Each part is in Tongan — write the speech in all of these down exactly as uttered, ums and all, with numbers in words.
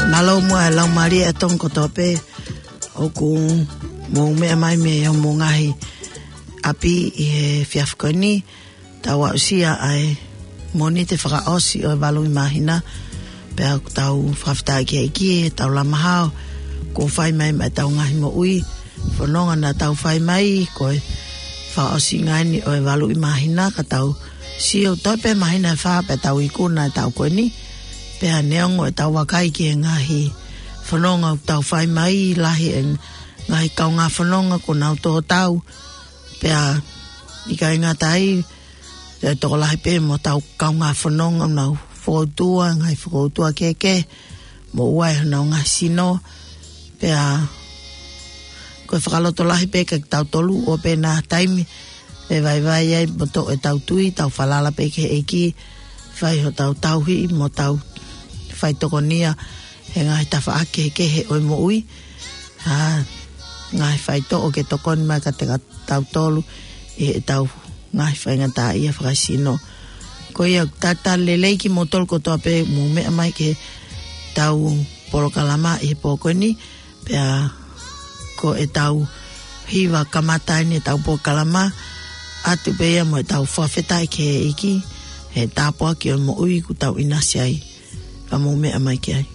Mālō muʻa e laumālie ʻa e Tonga kotoa pē ʻoku mou meʻa mai mei homou ngaahi ʻapi ʻi he efiafi ko eni. Tau aʻusia ʻa e Mōnite fakaʻosi ʻo e valu ʻi māhina. Pea ʻoku tau fakafetaʻi ki he ʻEiki he tau lama hao kuo fai mai maʻa ʻetau ngaahi moʻui. Fononga naʻa tau fai mai ko e fakaʻosinga eni ʻo e valu ʻi māhina, ka tau sio toe pē māhina ʻe fā pea tau ikuna e taʻu ko eni. Pea neongo ʻetau vakai ki he ngaahi fononga ʻoku tau fai mai, lahi e ngaahi kaungā fononga kuo nau tō tau. Pea ʻikai ngata ai, ʻe tokolahi pē mo ʻetau kaungā fononga ʻoku nau fokoutua, ngaahi fokoutua kehekehe, mo ʻoua ʻe honau ngaahi sino. Pea ko e fakalotolahi pē kia kitautolu ʻo pē ʻa e taimi ʻe vaivai ai mo toʻo ʻetau tui, tau falala pē ki he ʻEiki, fai hotau tauhi mo tau faitokonia he ngaahi tafaʻaki kehekehe ʻo e moʻui. ʻA e ngaahi faitoʻo ke tokoni mai kiate kitautolu ʻi heʻetau ngaahi faingataʻaʻia fakasino. Ko ia, talitali lelei kimoutolu kotoa pē mou meʻa mai ki heʻetau polokalama ʻi he pō ko eni, pea ko ʻetau hiva kamata eni ʻetau polokalama, ʻoatu pē ia mo ʻetau fakafetaʻi ki he ʻEiki he tāpuaki ʻo e moʻui ʻoku tau ʻinasi ai. Ka mou meʻa mai ki ai.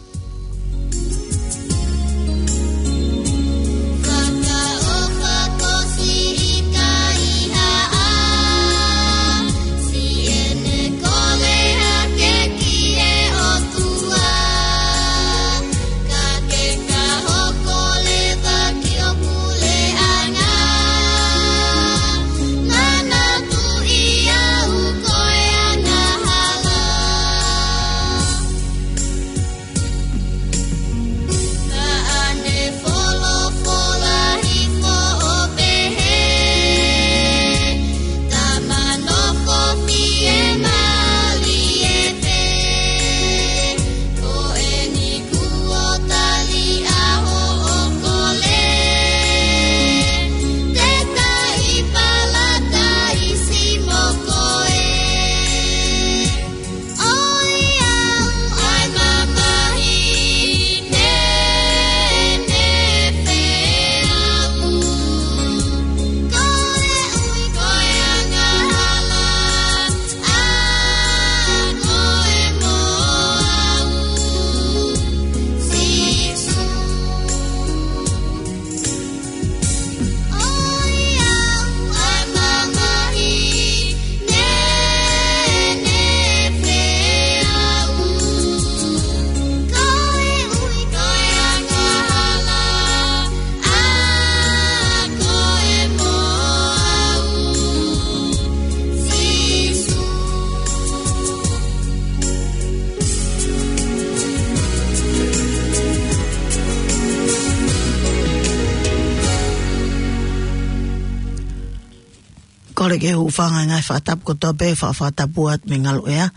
Kole ke u hūfanga he ngaahi fakatapu kotoa pē, fa-, fakatapu atu mei Ngaluʻea.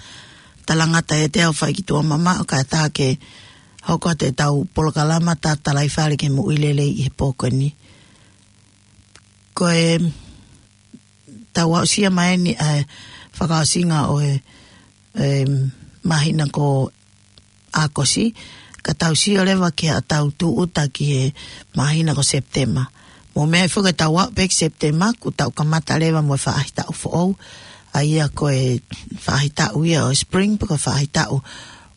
Talangata ʻiate au fai ki tuʻa mamaʻo kae ʻatā ke hoko atu ʻetau polokalama Tatalaifale ki he Moʻui Lelei ʻi he pō ko eni. Ko e tau aʻusia mai eni ʻa e fakaʻosinga ʻo e, ʻe, māhina ko ʻAokosi, ka tau sio leva ki heʻetau tūʻuta ki he māhina ko Sepitema. Mou meaʻi foki ʻetau aʻu pē ki Sepitema, kuo tau kamata leva mo e faʻahitaʻu foʻou, ʻa ia ko e faʻahitaʻu ia ʻo e spring, pe ko e faʻahitaʻu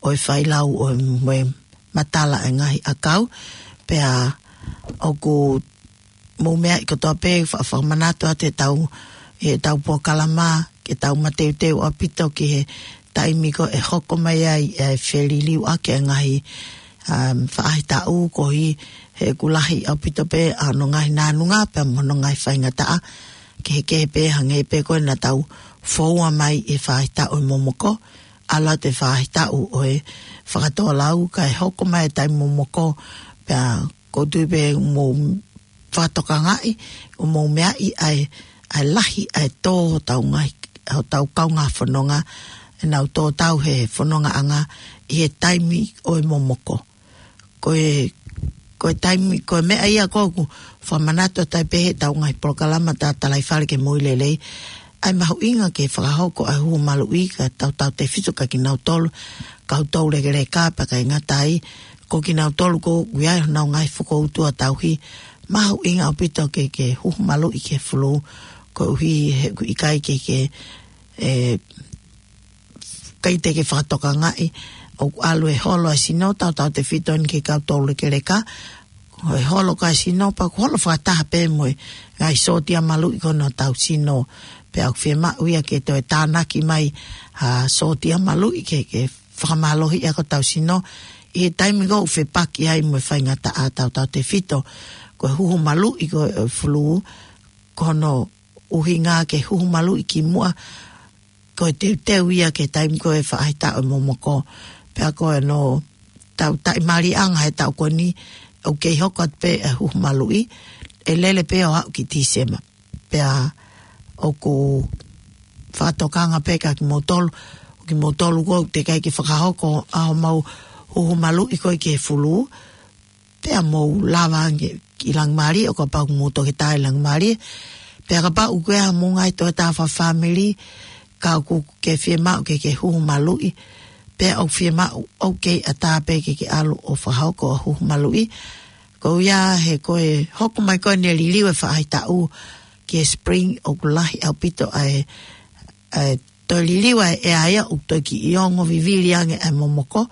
ʻo e failau ʻo e, mo e matala e ngaahi ʻakau, pea ʻoku mou meaʻi kotoa pē fa-, fakamanatu atu ʻetau, ʻetau polokalama, ke tau mateuteu ʻaupito ki he taimi ko ē ʻe hoko mai ai e feliliuaki e ngaahi, um, faʻahitaʻu koeʻuhi he ʻoku lahi ʻaupito pē ʻa hono ngaahi nānunga pea mo hono ngaahi faingataʻa kehekehe pē hangē pē ko ē naʻa tau foua mai e faʻahitaʻu ʻo e momoko, ʻalu atu e faʻahitaʻu ʻo e fakatōlau kae hoko mai e taimi momoko, pea ʻoku ou tui pē mou fakatokangaʻi, ʻoku mou meaʻi ʻa e, ʻa e lahi ʻa e tō hotau ngaahi, hotau kaungā fononga, ʻenau tō tau he fonongaʻanga ʻi he taimi ʻo e momoko. Ko e, ko e taimi, ko e meʻa ia ʻoku ou fakamanatu atu ai pē heʻetau ngaahi polokalama Tatalaifale ki he Moʻui Lelei, ʻa e mahuʻinga ke fakahoko ʻa e hū maluʻi kia tautautefito kia kinautolu, kau toulekeleka pea ʻikai ngata ai, Ko kinautolu ʻoku ʻi ai honau ngaahi fokoutua tauhi, mahuʻinga ʻaupito ke, ke huhu maluʻi ki he fulū, koeʻuhi he ʻoku ʻikai ke, ke, ʻe, ʻikai te ke fakatokangaʻi, ʻoku ʻalu e holo ʻa e sino, tautautefito eni ki he kau toulekeleka, ʻe holo ʻa e sino, pea ʻoku holo fakataha pē mo e ngaahi sōtia maluʻi ko ē ʻo hotau sino, pea ʻoku fiemaʻu ia ke toe tānaki mai ha sōtia maluʻi ke, ke fakamālohiʻi ʻa hotau sino, ʻi he taimi ko ē ʻoku fepaki ai mo e faingataʻa, tautautefito ko e huhu maluʻi ko ē ʻo e fulū, ko hono ʻuhinga ke huhu maluʻi kimuʻa, ko e teuteu ia ki he taimi ko ē ʻo e faʻahitaʻu ʻo e momoko. Pea ko hono tau taʻimāliʻanga he taʻu ko eni, ʻoku kei hoko atu pē e huhu maluʻi, ʻe lele pē ʻo aʻu ki Tīsema. Pea ʻoku fakatokanga pē kia kimoutolu, ʻo kimoutolu ʻoku teʻeki ai ke fakahoko ʻa homau huhu maluʻi ko ē ki he fulū, pea mou lava ange ki Langimālie, ʻo kapau ʻoku mou toki tā ʻi Langimālie. Pea kapau ʻoku ʻi ai haʻamou ngaahi tokotaha fakafāmili, ka ʻoku ke fiemaʻu ke ke huhu maluʻi, pea ʻoku fiemaʻu ʻoku kei ʻatā pē ke ke ʻalu ʻo fakahoko ʻa e huhu maluʻi. Ko ia he ko e hoko mai ko eni e liliu e faʻahitaʻu ki he spring, ʻoku lahi ʻaupito ʻa e, ʻa e toe liliu ʻa e ʻea ia, ʻoku toe kiʻi ongo vivili ange ʻa e momoko,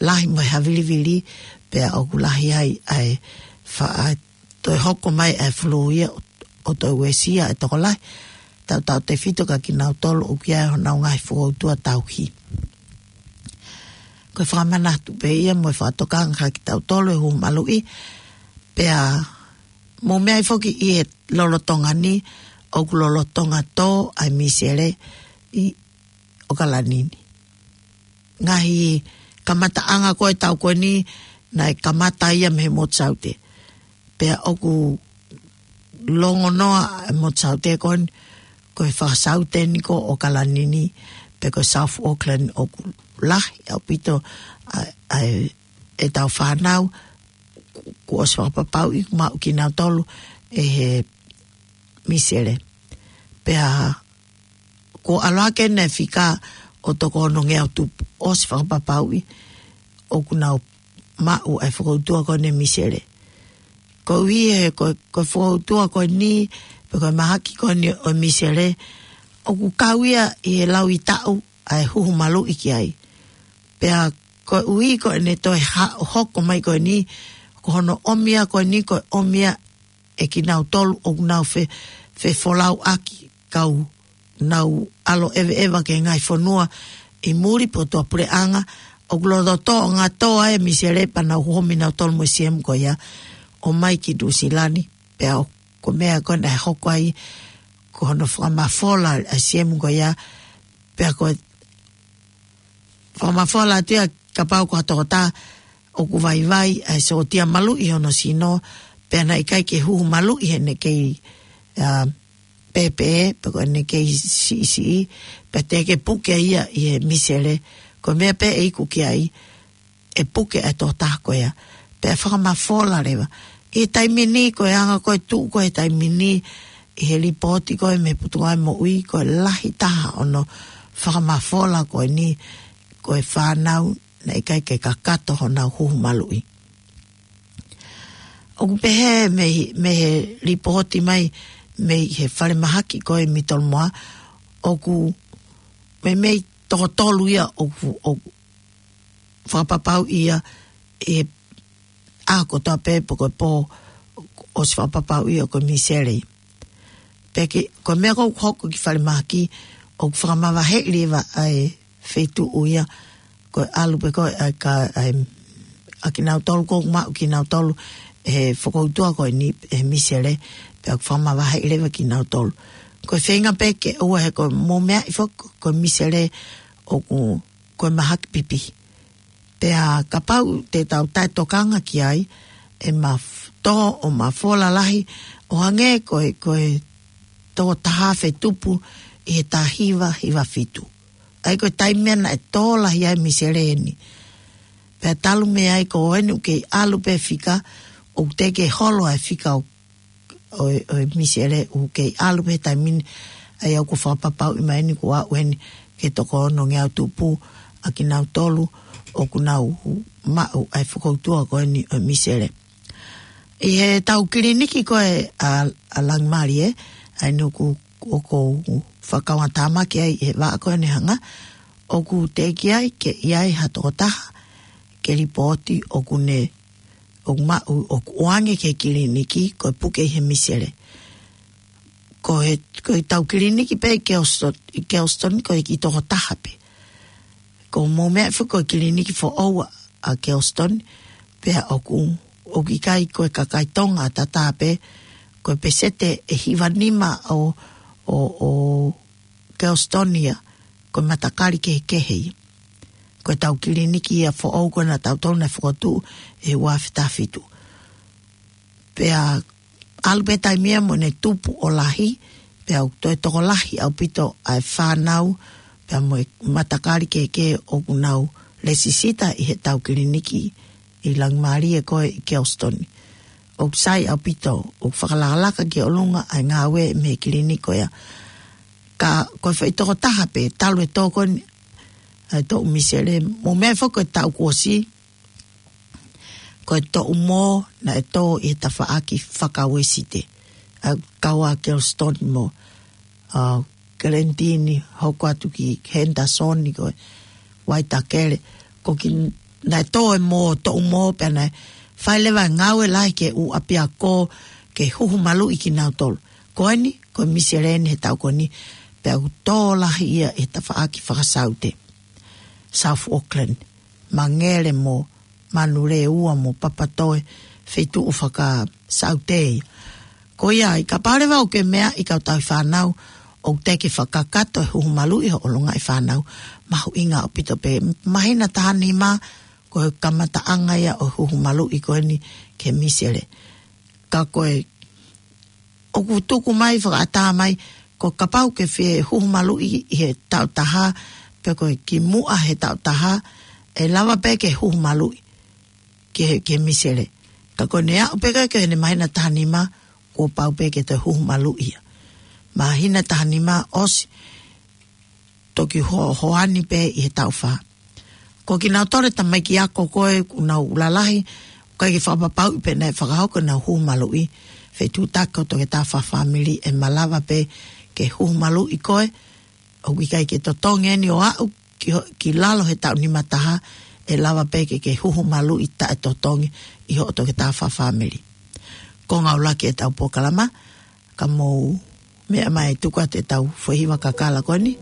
lahi mo e havilivili, pea ʻoku lahi ai ʻa e faʻa toe hoko mai ʻa e fulū ia ʻo, ʻo toe uesia ʻa e tokolahi, tautautefito kia kinautolu ʻoku ʻi ai honau ngaahi fokoutua tauhi. Ko e fakamanatu pē ia mo e fakatokanga kia kitautolu e huhu maluʻi, pea mou meaʻi foki ʻi he lolotonga ni, ʻoku lolotonga tō ʻa e misele ʻi ʻOkalani ni. Ngaahi kamataʻanga ko ē ʻo e taʻu ko eni, naʻe kamata ia mei he motu saute. Pea ʻoku longonoa e motu saute ko eni, ko e fakasaute eni ko ʻOkalani ni, pe ko South Auckland, ʻoku lahi ʻaupito ʻa, ʻa e, ʻetau fānau, kuo ʻosi fakapapauʻi ʻoku maʻu kinautolu ʻe he misele. Pea kuo ʻalu hake eni e fika ʻo toko onongeau tupu ʻosi fakapapauʻi ʻoku nau maʻu ʻa e fokoutua ko eni e misele. Koeʻuhi he ko, ko e fokoutua ko eni, pe ko e mahaki ko eni ʻo e misele, ʻoku kau ia ʻi he lauʻitāʻu ʻa e huhu maluʻi ki ai. Pea koeʻuhi ko ʻene toe ha-, hoko mai ko eni, ko hono ʻomi ia ko eni, ko e ʻomi ia ʻe kinautolu ʻoku nau fe-, fefolauʻaki, kau nau ʻalu ʻeveʻeva ki he ngaahi fonua ʻi muli pe ko e tuʻapuleʻanga, ʻoku lolotonga tō ʻa e misele pea nau homi nautolu mo e siemu ko ia ʻo ʻomai ki Nuʻusila ni. Pea ʻoku, ko e meʻa ko ē naʻe hoko ai, ko hono fakamafola ʻa e siemu ko ia, pea ko e fakamafola atu ia kapau ko ha tokotaha ʻoku vaivai ʻa e sōtia maluʻi ʻi hono sino, pea naʻe ʻikai ke huhu maluʻi heʻene kei, ā, pēpē, pe ko ʻene kei siʻisiʻi, pea teʻeki ke puke ia ʻi he misele, ko e meʻa pē ʻe iku ki ai, ʻe puke ʻa e tokotaha ko ia. Pea fakamafola leva. ʻI he taimi ni, ko e anga ko ē ʻoku tuʻu ko ē he taimi ni, ʻi he lipooti ko ē mei he Potungāue Moʻui, ko e lahi taha hono fakamafola ko eni, ko e fānau naʻe ʻikai ke kakato honau huhu maluʻi. ʻOku pehē mei, mei he lipooti mai mei he falemahaki ko ē mei Tolomoa, ʻoku meimei toko tolu ia ʻoku, ʻoku fakapapauʻi ia ʻi he ʻaho kotoa pē pe ko e pō ʻosi fakapapauʻi ia ko e misele. Pea ke, ko e meʻa ko ē ʻoku hoko ki falemahaki, ʻoku fakamavaheʻi leva ʻa e feituʻu ia, ko e ʻalu pē ko ē ʻa e ka, ʻa e, ʻa kinautolu ʻoku maʻu kinautolu he fokoutua ko eni he misele, pea ʻoku fakamavaheʻi leva kinautolu. Ko e feinga pē ke ʻoua he ko e mou meaʻi foki ko e misele ʻoku, ko e mahaki pipihi. Pea kapau te tau taʻetokanga ki ai, ʻe maf-, tō ʻo mafola lahi, ʻo hangē ko e, ko e toko taha afe tupu ʻi he taha hiva hiva fitu. ʻA ia ko e taimi ia naʻe tō lahi ai e misele eni. Pea talu mei ai ko eni ʻoku kei ʻalu pē fika, ʻoku teʻeki ke holo ʻa e fika ʻo ʻo e, ʻo e misele ʻoku kei ʻalu pē he taimi ni, ʻa ia ʻoku fakapapauʻi mai eni kuo aʻu eni ki he toko onongeau tupu ʻa kinautolu ʻoku nau maʻu ʻa e fokoutua ko eni ʻo e misele. ʻI he tau kiliniki ko ē ʻa, ʻa Langimālie, ʻa eni ʻoku, ʻoku ou fakakaungātāmaki ai he vaʻa ko eni hanga, ʻoku teʻeki ai ke ʻi ai ha tokotaha ke lipooti ʻoku ne, ʻoku maʻu, ʻoku ʻoange ki he kiliniki ko e puke ʻi he misele. Ko e, ko e tau kiliniki pē ʻi Kelston, ʻi Kelston ko e kiʻi tokotaha pē. Ko hoʻomou meʻa foki ko e kiliniki foʻou ʻa Kelston, pea ʻoku, ʻoku ʻikai ko e kakai Tonga tatau pē, ko e peseti ʻe hiva nima ʻo, ʻo, ʻo Kelston ia, ko e matakali kehekehe ia. Ko e tau kiliniki ia foʻou ko ē naʻa tautolu naʻe fokotuʻu ʻi he ua afe taha fitu. Pea ʻalu pē taimi ia mo ne tupu ʻo lahi, pea ʻoku toe tokolahi ʻaupito ʻa e fānau, pea mo e matakali kehekehe ʻoku nau lēsisita ʻi he tau kiliniki ʻi Langimālie ko ē ʻi Kelston. ʻOku sai ʻaupito, ʻoku fakalakalaka ki ʻolunga ʻa e ngāue mei he kiliniki ko ia. Ka ko e foʻi tokotaha pē, talu e tō ko eni ʻa e toʻu misele, mo e meʻa foki ko e taʻu kuo ʻosi, ko e toʻu mō naʻe tō ʻi he tafaʻaki faka-Uēsite. ʻA e kau ʻa Kelston mo, ʻa, Kelentini, hoko atu ki Henderson ko e Waitakele. Ko e kiʻi naʻe tō e mō, toʻu mō, pea naʻe fai leva e ngāue lahi ki he ʻū ʻapiako ke huhu maluʻi kinautolu. Ko eni, ko e misele eni he taʻu ko eni, pea ʻoku tō lahi ia he tafaʻaki faka-Saute. South Auckland, Mangere mo Manulēua mo Papatoetoe, feituʻu faka-Saute ia. Ko ia ai, kapau leva ʻoku ke meaʻi kau tauhi fānau, ʻoku teʻeki fakakakato e huhu maluʻi hoʻo longaʻi fānau, mahuʻinga ʻaupito pē, māhina taha nima, ko e kamataʻanga ia ʻo e huhu maluʻi ko eni ki he misele. Ka ko e ʻoku tuku mai, fakaʻatā mai, ko e kapau ʻoku ke fie huhu maluʻi ʻi he taʻu taha, pe ko e kimuʻa he taʻu taha, ʻe lava pē ke huhu maluʻi ki he, ki he misele. Ka ko ʻene aʻu pē ki heʻene māhina taha nima, kuo pau pē ke toe huhu maluʻi ia. Māhina taha nima ʻosi, toki ho-, hoani pē ʻi he taʻu fā. Ko kinautolu e tamaiki ako ko ē ʻoku nau lalahi, ʻoku ʻikai ke fakapapauʻi pe naʻe fakahoko ʻenau huhu maluʻi, fetuʻutaki ʻo e toketā fakafāmili ʻe malava pē ke huhu maluʻi koe, ʻoku ʻikai ke totongi eni ʻo aʻu ki ho-, ki lalo he taʻu nima taha, ʻe lava pē ke ke huhu maluʻi taʻetotongi ʻi hoʻo toketā fakafāmili. Ko e ngāue lahi e tau polokalama, ka mou meʻa mai tuku atu e tau foʻi hiva kakala ko eni,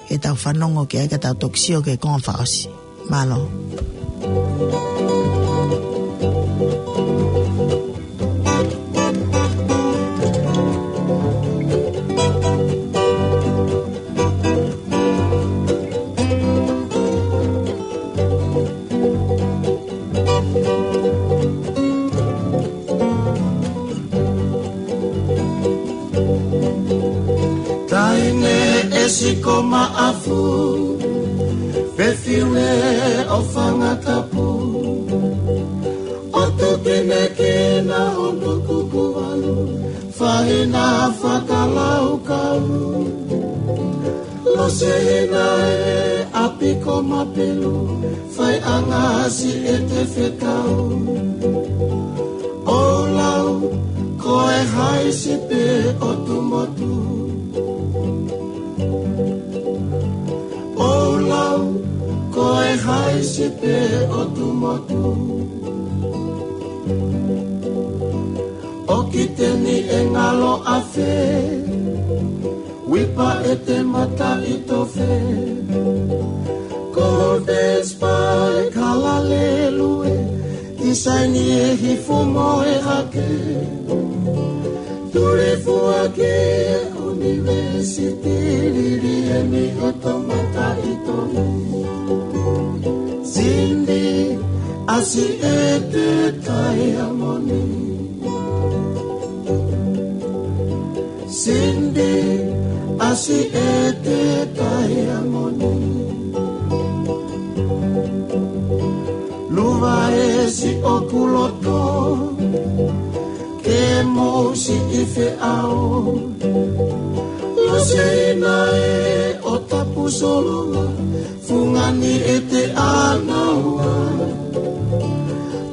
ke tau fanongo ki ai ka tau toki sio ki he konga fakaʻosi. Mālō. Taʻahine ʻe siko maʻafu, pefiume ʻo fanga tapu, ʻotu kinekina ʻo nuku kuvalu, fahina fakalaukau. Lose hina e ʻapi ko Mapelu, fai ʻa ngasi e te fekau. ʻO lau, ko e haisi pē ʻo Tumotu. ʻO lau, ko e haisi pē ʻo Tumotu. ʻO Kiteni ʻe ngalo afe, Uipa ʻe te mataʻitofe. Ko Vespa ʻe Kalalelue, tisaini ʻe Hifu mo e Hake. Tuli fua ki ʻUnivēsiti, Liliemi ʻo Tomataʻitofe. Cindy, ʻasi ʻe te Taiamoni. Cindy, ʻasi ʻe te Taiamoni. Luva ʻe siʻoku loto, ke mou siʻi feʻao. Lose hina e ʻo Tapu Solo, fungani ʻete ʻānaua.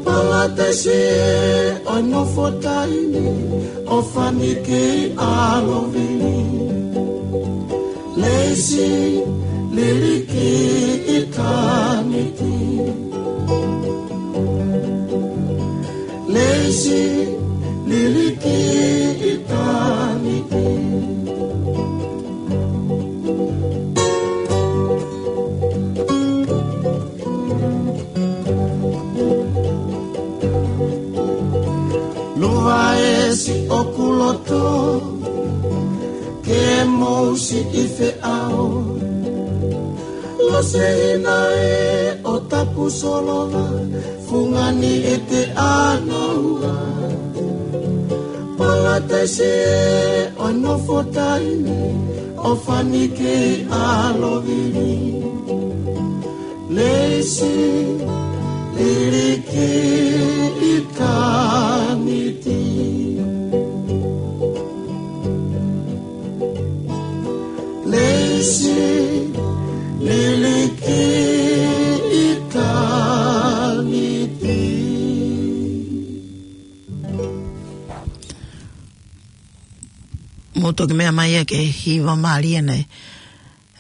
Palataisi ʻe ʻo e nofo taimi, ʻo fani kei ʻalovili. Leisi, liliki ʻitāniti. Leisi, liliki ʻitāniti. Luva ʻe siʻoku loto, ke mou siʻi feʻao. Losehina ʻe ʻo Tapusolova, fungani ʻete ʻānaua. Palataisi ʻe ʻo e nofo taimi, ʻo fani kei ʻalovili. Leisi, liliki ʻitāniti. Leisi, liliki ʻitāniti. Mou toki meʻa mai ia ki he hiva mālie ʻeni,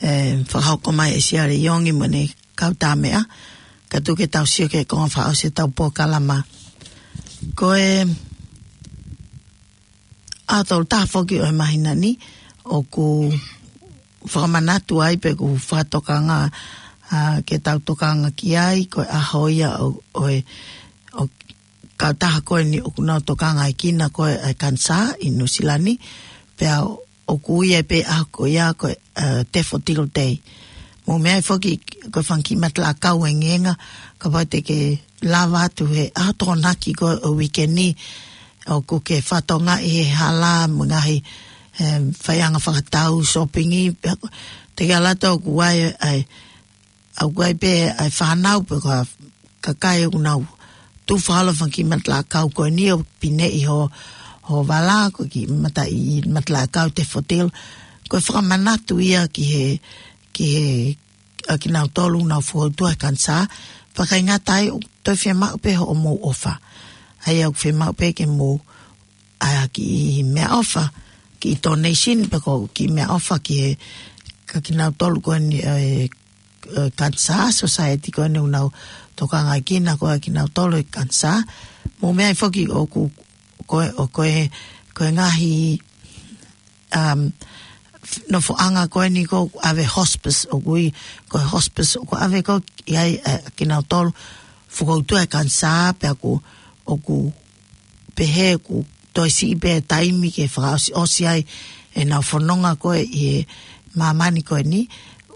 ʻe fakahoko mai ʻe Siale Iongi mo ʻene kau tā meʻa, kae tuku ke tau sio ki he konga fakaʻosi ʻetau polokalama. Ko e ʻaho tolu taha foki ʻo e māhina ni, ʻoku fakamanatu ai pe ʻoku fakatokanga, ʻa, ke tau tokanga ki ai, ko e ʻaho ia ʻo, ʻo e, ʻo e kautaha ko eni ʻoku nau tokangaʻi kinautolu ʻa e kanisā ʻi Nuʻusila ni, pea ʻoku ui ai pē ʻaho ko ia ko e, ʻa, Daffodil Day. Mou meʻa ai foki ko e fanga kiʻi matala ʻakau ʻe ngenga, kapau te ke lava atu he ʻaho Tokonaki ko e uike ni, ʻoku ke fatongia ʻi he hala mo e ngaahi, ʻe, faiʻanga fakatau, sōpingi, pea ko, te ke ʻalu atu ʻoku ʻi ai, ʻa e, ʻoku ʻi ai pē ʻa e fānau pe ko e kakai ʻoku nau tufa ʻalu he fanga kiʻi matala ʻakau ko eni ʻo pineʻi ho, ho vala, ko e kiʻi mata-, ʻi matala ʻakau Daffodil. Ko e fakamanatu ia ki he, ki he, ʻa kinautolu ʻoku nau fokoutua he kanisā, pea ʻikai ngata ai ʻoku toe fiemaʻu pē hoʻomou ʻofa. ʻA ia ʻoku fiemaʻu pē ke mou ʻai ha kiʻi meʻaʻofa, kiʻi donation pe ko e kiʻi meʻaʻofa ki he, ʻa kinautolu ko eni, ʻe, ʻe, kanisā, society ko eni ʻoku nau tokangaʻi kinautolu ʻe he kanisā. Mou meʻa ai foki ʻoku, ko e, ʻo ko e, ko e ngaahi, um, nofoʻanga ko eni ʻoku ʻave hospice, ʻoku ui ko e hospice, ʻoku ʻave ko ē ʻa e, ʻa kinautolu fokoutua he kanisā, pea ʻoku, ʻoku pehē ʻoku toe siʻi pē taimi ke fakaʻosiʻosi ai ʻenau fononga ko ē ʻi he māmani ko eni,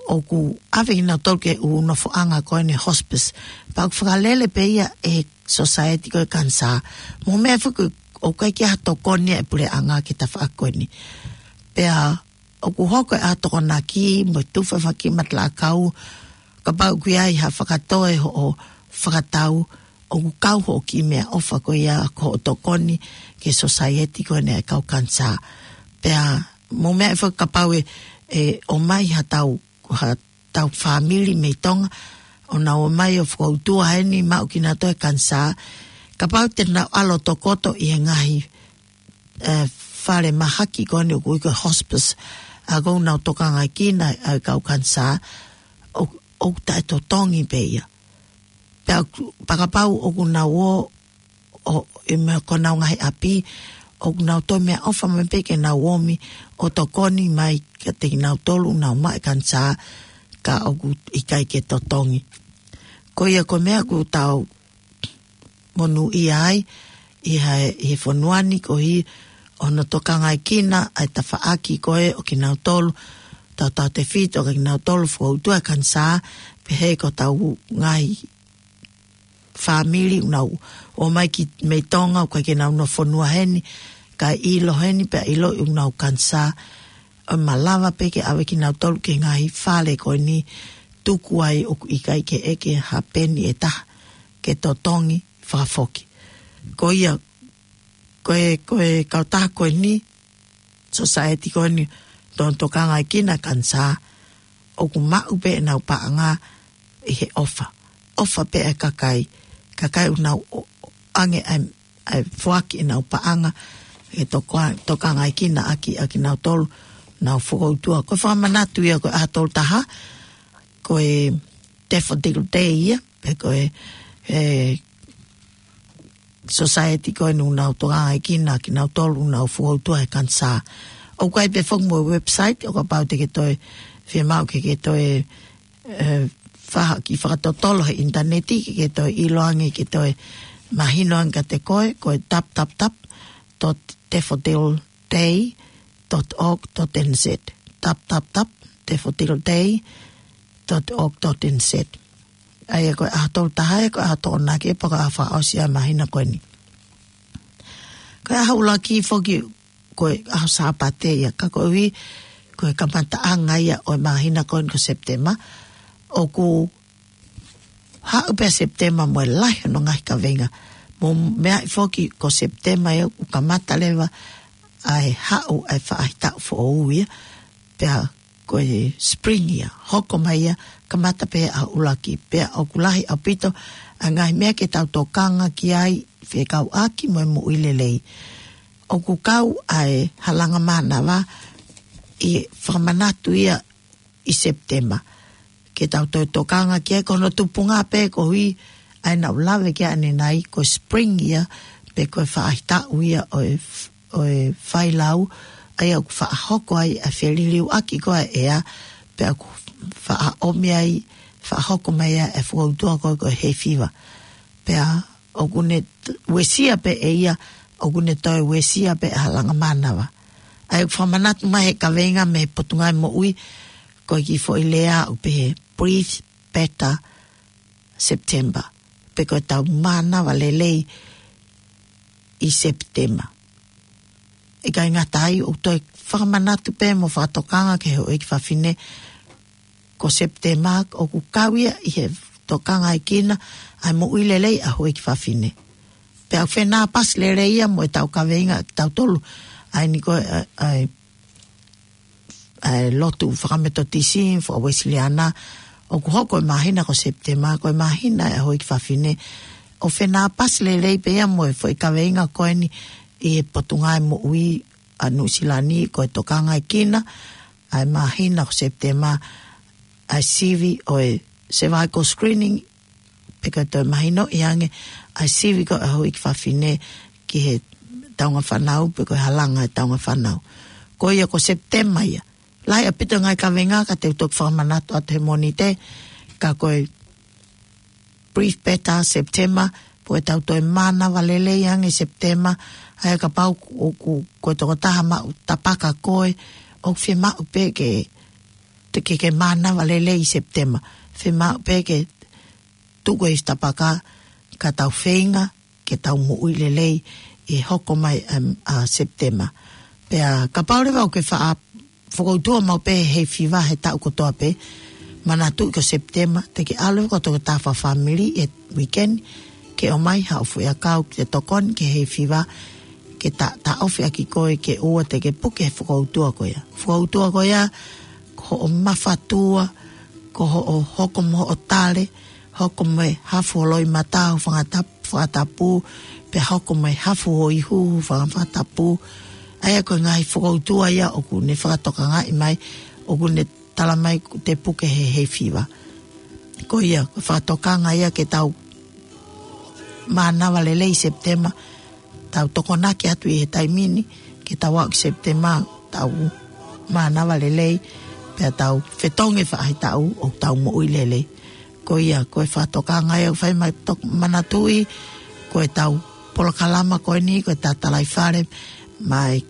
ʻoku ʻave kinautolu ki he ʻū nofoʻanga ko eni hospice. Pea ʻoku fakalele pē ia ʻe he society ko e kanisā. Mou meʻa foki ʻoku ʻikai ke ʻi ai ha tokoni ʻa e puleʻanga ki he tafaʻaki ko eni. Pea ʻoku hoko e ʻaho Tokonaki mo e tufa e fanga kiʻi matala ʻakau, kapau ʻoku ʻi ai ha fakatoe hoʻo fakatau, ʻoku kau hoʻo kiʻi meʻaʻofa ko ia ko hoʻo tokoni ki he society ko eni ʻa e kau kanisā. Pea mou meʻa ai foki kapau ʻe, ʻe ʻomai ha tau, ha tau fāmili mei Tonga, ʻo nau ō mai ʻo fokoutua heni maʻu kinautolu he kanisā, kapau te nau ʻalu ʻo tokoto ʻi he ngaahi, ʻe, fale mahaki ko eni ʻoku ui ko e hospice, ʻa ē ʻoku nau tokangaʻi kinautolu ʻa e kau kanisā, ʻo, ʻoku taʻetotongi pē ia. Pea ʻoku, pea kapau ʻoku nau ō, ʻo, ʻi he meʻa ko ʻenau ngaahi ʻapi, ʻoku nau toe meʻaʻofa mai pē ke nau ōmi ʻo tokoni mai kiate kinautolu ʻoku nau maʻu e kanisā, ka ʻoku ʻikai ke totongi. Ko ia ko e meʻa ʻoku tau monūʻia ai ʻi he, ʻi he fonua ni koeʻuhi ʻoku nau tokangaʻi kinautolu ʻa e tafaʻaki ko ē ʻo kinautolu tautautefito, ka kinautolu fokoutua he kanisā, pehē ko hotau ngaahi fāmili ʻoku nau ō mai ki, mei Tonga, ʻoku ʻikai ke nau nofo fonua heni, kae ʻilo heni, pea ʻiloʻi ʻoku nau kanisā, ʻo malava pē ke ʻave kinautolu ki he ngaahi fale ko eni, tuku ai ʻoku ʻikai ke ʻeke ha peni ʻe taha ke totongi fakafoki. Ko ia, ko e, ko e kautaha ko eni, society ko eni, ʻoku nau tokangaʻi kinautolu ʻa e kanisā, ʻoku maʻu pē ʻenau paʻanga ʻi he ʻofa. ʻOfa pē ʻa e kakai. Kakai ʻoku nau ʻo-, ʻoange ʻa e, ʻa e foaki ʻenau paʻanga ke toka-, tokangaʻi kinautolu ʻaki, ʻa kinautolu ʻoku nau fokoutua. Ko e fakamanatu ia ko e ʻaho tolu taha, ko e Daffodil Day ia, pe ko e, e, society ko eni ʻoku nau tokangaʻi kinautolu ʻoku nau fokoutua he kanisā. ʻOku ʻi ai pē foki mo e website, ʻo kapau te ke toe fiemaʻu ke ke toe, e, faha ki fakatotolo he ʻinitaneti, ke ke toe ʻiloange, ke toe mahino ange kiate koe, ko e tap tap tap dot daffodil day dot org dot N Z. Tap tap tap daffodil day dot org dot N Z. ʻA ia ko e ʻaho tolu taha ia, ko e ʻaho Tokonaki, pea ko e ʻaho fakaʻosi ʻa e māhina ko eni. Ko e ʻaho ʻuluaki foki, ko e ʻaho Sāpate ia, ka koeʻuhi ko e kamataʻanga ia ʻo e māhina ko eni ko Sepitema, ʻoku haʻu pē Sepitema mo e lahi hono ngaahi kaveinga. Mo e meʻa foki ko Sepitema ia ʻoku kamata leva ʻa e haʻu ʻa e faʻahitaʻu foʻou ia, pea ko e spring ia, hoko mai ia, kamata pē ʻaho ʻuluaki, pea ʻoku lahi ʻaupito ʻa e ngaahi meʻa ke tau tokanga ki ai fekauʻaki mo e moʻui lelei. ʻOku kau ʻa e halanga mānava ʻi he fakamanatu ia ʻi Sepitema. Ke tau toe tokanga ki ai, ko hono tupunga pē koeʻuhi ʻa ia naʻa ku lave ki ai ʻanenai, ko e spring ia, pe ko e faʻahitaʻu ia ʻo e f-, ʻo e failau, ʻa ia ʻoku faʻa hoko ai ʻa e feliliuaki ko ē ʻa e ʻea, pea ʻoku faʻa ʻomi ai, faʻa hoko mai ai ʻa e fokoutua ko ē ko e hay fever. Pea ʻoku ne t-, uesia pē ʻe ia, ʻoku ne toe uesia pē ʻa e halanga mānava. ʻA ia ʻoku fakamanatu mai he kaveinga mei he Potungāue Moʻui, ko e kiʻi foʻi lea ʻoku pehē, "Breathe better September." Pe ko e tau mānava lelei ʻi Sepitema. ʻIkai ngata ai, ʻoku toe fakamanatu pē mo fakatokanga ki he houʻeiki fafine, ko Sepitema ʻoku kau ia ʻi he tokangaʻi kinautolu ʻa e moʻui lelei ʻa e houʻeiki fafine. Pea ʻoku fenāpasi lelei ia mo e tau kaveinga ʻa kitautolu, ʻa eni ko e, ʻa e, ʻa e, ʻa e lotu fakametotisi, faka-Uēsiliana, ʻoku hoko e māhina ko Sepitema, ko e māhina ʻa e houʻeiki fafine. ʻOku fenāpasi lelei pē ia mo e foʻi kaveinga ko eni ʻi he Potungāue Moʻui ʻa Nuʻusila ni, ko e tokangaʻi kinautolu ʻa e māhina ko Sepitema, ʻa e sivi ʻo e cervical screening, pe ko e toe mahinoʻi ange ʻa e sivi ko ē ʻa e houʻeiki fafine ki he taunga fānau, pe ko e halanga e taunga fānau. Ko ia ko Sepitema ia. Lahi ʻaupito ngaahi kaveinga ka te u toki fakamanatu atu he Mōnite, ka ko e Breathe Better Sepitema, pe ko e tau toe mānava lelei ange Sepitema, ʻa ia kapau ʻoku, ko e tokotaha maʻu tapaka koe, ʻoku fiemaʻu pē ke, te ke, ke mānava lelei ʻi Sepitema. Fiemaʻu pē ke tuku e tapaka, ka tau feinga ke tau moʻui lelei ʻi he hoko mai, em, ʻa Sepitema. Pea kapau leva ʻoku ke faʻa fokoutua maʻu pē he hay fever he taʻu kotoa pē, manatuʻi ko Sepitema, te ke ʻalu ko e tokotaha fakafāmili he weekend, ke ʻomai haʻo foʻiʻakau ke tokoni ki he hay fever, ke ta-, taʻofi ʻaki koe ke ʻoua te ke puke he fokoutua ko ia. Fokoutua ko ia, ko hoʻo mafatua, ko hoʻo hoko mo hoʻo tale, hoko mo e hafu ho loʻimata ho fanga tap-, fakatapu, pea hoko mo e hafu ho ihu ho fanga fakatapu. ʻA ia ko e ngaahi fokoutua ia ʻoku ne fakatokangaʻi mai, ʻoku ne tala mai ʻoku te puke he hay fever. Ko ia, ko e fakatokanga ia ke tau mānava lelei ʻi Sepitema, tau tokonaki atu ʻi he taimi ni, ke tau aʻu ki Sepitema, tau mānava lelei, pea tau fetongi faʻahitaʻu ʻoku tau moʻui lelei. Ko ia, ko e fakatokanga ia ʻoku fai mai tok-, manatuʻi, ko e tau polokalama ko eni, ko e tau Talaifale mai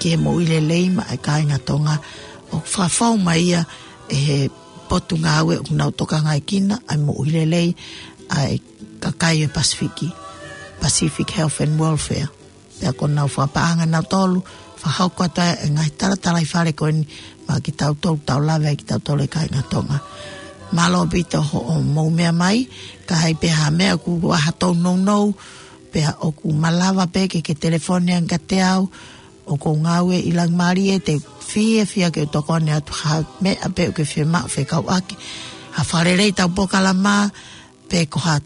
ki he moʻui lelei maʻa e kāinga Tonga, ʻoku fakafou mai ia ʻe he Potungāue ʻoku nau tokangaʻi kinautolu ʻa e moʻui lelei ʻa e kakai ʻo e Pasifiki, Pacific Health and Welfare. Pea ko ʻenau fakapaʻanga nautolu, fakahoko atu ai e ngaahi tala Talaifale ko eni maʻa kitautolu, tau lave ai kitautolu e kāinga Tonga. Mālō ʻaupito hoʻomou meʻa mai, ka ʻi ai pē ha meʻa ʻoku ʻi ai haʻatau nounou, pea ʻoku malava pē ke ke telefoni ange kiate au, ʻoku ou ngāue ʻi Langimālie, te u fiefia ke u tokoni atu ha meʻa pē ʻoku ke fiemaʻu fekauʻaki ha fakalelei ʻetau polokalama, pe ko ha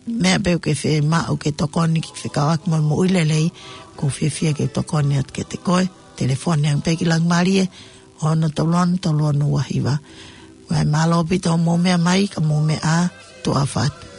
meʻa pē ʻoku ke fiemaʻu ke tokoni ki he fekauʻaki mo e moʻui lelei, ʻoku ou fiefia ke u tokoni atu kiate koe. Telefoni ange pē ki Langimālie, ono tolu ono tolu ono ua hiva. Mālō ʻaupito hoʻomou meʻa mai, ka mou meʻa ā, tuʻa ʻofa atu.